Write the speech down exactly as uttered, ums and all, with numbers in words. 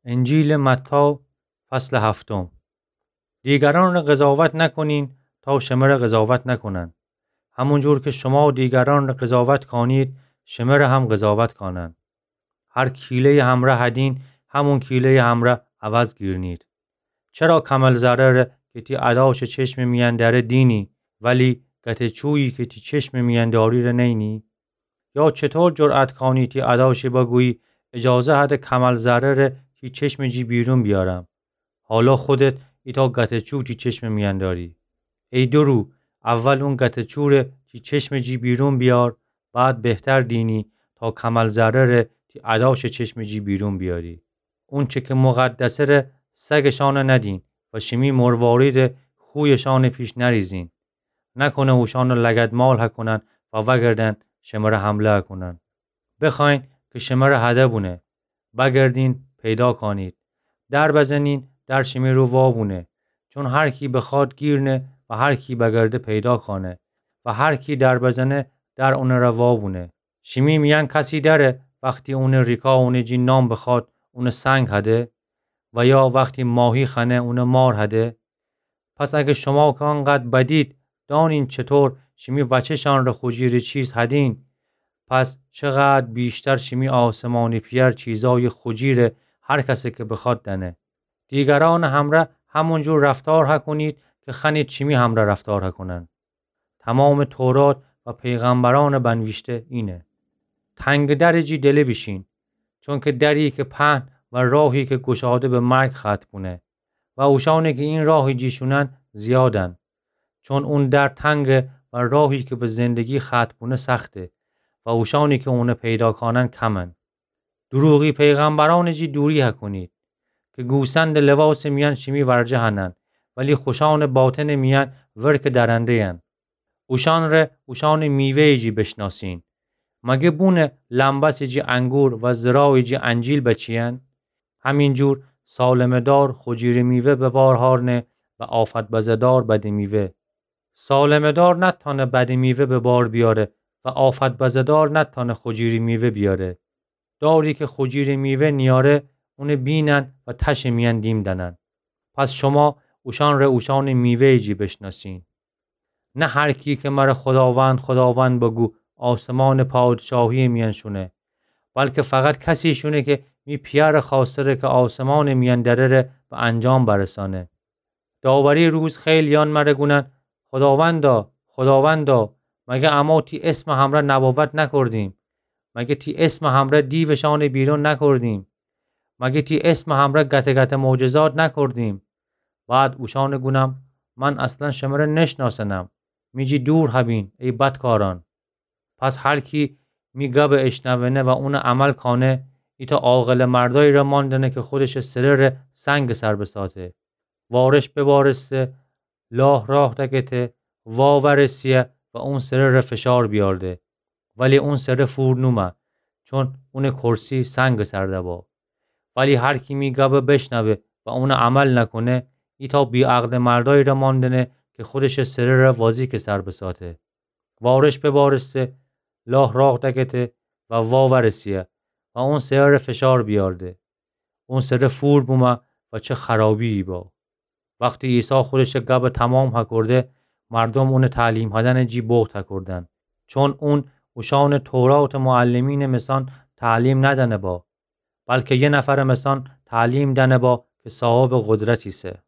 انجیلٚ متی، فصلٚ هفتم. دیگرأنٚ قضاوت نکنین تا شمره قضاوت نکنن. همونجور که شما دیگرأنٚ قضاوت کانید، شمره هم قضاوت کانن. هر کیله‌یی همره هدین، همون کیله‌یی همره عوض گیرنید. چرا کمل ذره‌ره که تی اداشٚ چشمٚ میأن دأره دینی، ولی گته‌چویی که تی چشمٚ میأن دأری‌ره نئینی؟ یا چطور جرأت کانی تی اداشٚ بگویی، اجازه هده کمل ذره‌ره تی چشمٚ جی بیرون بیارم، حالا خودت ایتأ گته‌چو تی چشمٚ میأن دأری؟ ای دورو، اول اون گته‌چوره تی چشمٚ جی بیرون بیار، بعد بهتر دینی تا کمل ذره‌ره تی اداشٚ چشمٚ جی بیرون بیاری. اونچه که مقدسه‌ره سگٚ شأنه ندین و شیمی مرواریدٚ خویٚ شأنٚ پیش نریزین. نکنه اوشأنه لگدمال هکونن و وأگردن شمره حمله هکونن. بخوأیین که شمره هده بونه، بگردین پیدا کانید. در بزنین، در شیمی رو وا بونه. چون هر کی بخواد گیر نه و هر کی بگرده پیدا کانه و هر کی در بزنه، در اونٚ ره وا بونه. شیمی میأن کسی دأره وختی اونٚ ریکا اونٚ جی نان بخواد، اونه سنگ هده؟ و یا وختی ماهی خوأنه، اونه مار هده؟ پس اگه شما که انقدر بدید، دانین چطور شیمی وأچه شأنره خو جیره چیز هدین، پس چقدر بیشتر شیمی آسمانی پئر چیزأیی خو جیره هر کسٚ که بخواد دأنه. دیگرأنٚ همرأ همونجور رفتار هکونید که خوأنید شیمی همرأ رفتار هکونن. تمامٚ تورات و پیغمبرأنٚ بنویشته اینه. تنگٚ درٚ جی دله بیشین، چونکه دری که پهن و راهی که گشاده به مرگ ختم بونه و اوشأنی که این راهٚ جی شونن زیادن. چون اون در تنگه و راهی که به زندگی ختم بونه سخته و اوشأنی که اونه پیدا کانن کمن. دروغی پیغمبرأنٚ جی دوری هکونید، که گوسندٚ لواسٚ میأن شیمی ورجه هنن، ولی خوشأنٚ باطنٚ میأن ورکٚ درنده‌ین. اوشأنره اوشأنٚ میوه‌یٚ جی بشناسین. مگه بونٚ لمبسٚ جی انگور و زراعٚ جی انجیل بچیین؟ همینجور سالمٚ دار خو جیرٚ میوه به بار هارنه و آفت بزه‌دار بدٚ میوه. سالمٚ دار نتأنه بدٚ میوه به بار بیاره و آفت بزه‌دار نتأنه خو جیرٚ میوه بیاره. داری که خو جیرٚ میوه نیاره، اونه بینن و تشٚ میأن دیم دأنن. پس شما اوشأنره اوشأنٚ میوه‌یٚ جی بشناسین. نه هر کی که مره خوداوند، خوداوند بگو، آسمانٚ پادشاهی‌یٚ میأن شونه، بلکه فقط کسی شونه که می پئرٚ خوأسته‌ره که آسمانٚ میأن دره‌ره به انجام برسأنه. داوری روز خیلییأن مره گونن: خوداوندا، خوداوندا، مگه امو تی اسمٚ همرأ نبوت نکردیم؟ مگه تی اسمٚ همرأ دیوٚ شأنٚ بیرون نکردیم؟ مگه تی اسمٚ همرأ گته گته معجزات نکردیم؟ بعد اوشأنٚ گونم: من اصلاً شمره نشناسنم. می جی دور هبین، ای بدکارأن. پس هر کی می گبٚ اشنوأنه و اونٚ عمل کأنه، ایتأ عاقلٚ مردأیی‌ره ماندأنه که خودشٚ سره‌ره سنگٚ سر بسأته. وارش ببارسته، لاه راه دکته، واورسیه و اون سره‌ره فشار بیارده. ولی اون سره فور نومه، چون اونٚ کرسی سنگٚ سر دبا. ولی هر کی می گبٚ بشنوه و اونٚ عمل نکونه، ایتأ بی‌عقلٚ مردأیی‌ره ماندأنه که خودشٚ سره‌ره وازیکٚ سر بسأته. وارش ببارسته، لاه راه دکته و واورسیه و اون سره‌ره فشار بیارده. اون سره فور بومه و چه خرابی‌یی با. وختی عیسی خودشٚ گبٚ تومام هکرده، مردوم اونٚ تعلیم هدنٚ جی بوخت هکردن، چون اون اوشأنٚ توراتٚ معلمینٚ مثأن تعلیم ندأنه با، بلکه یه نفرٚ مثأن تعلیم دأنه با که صاحبٚ قدرت ایسه.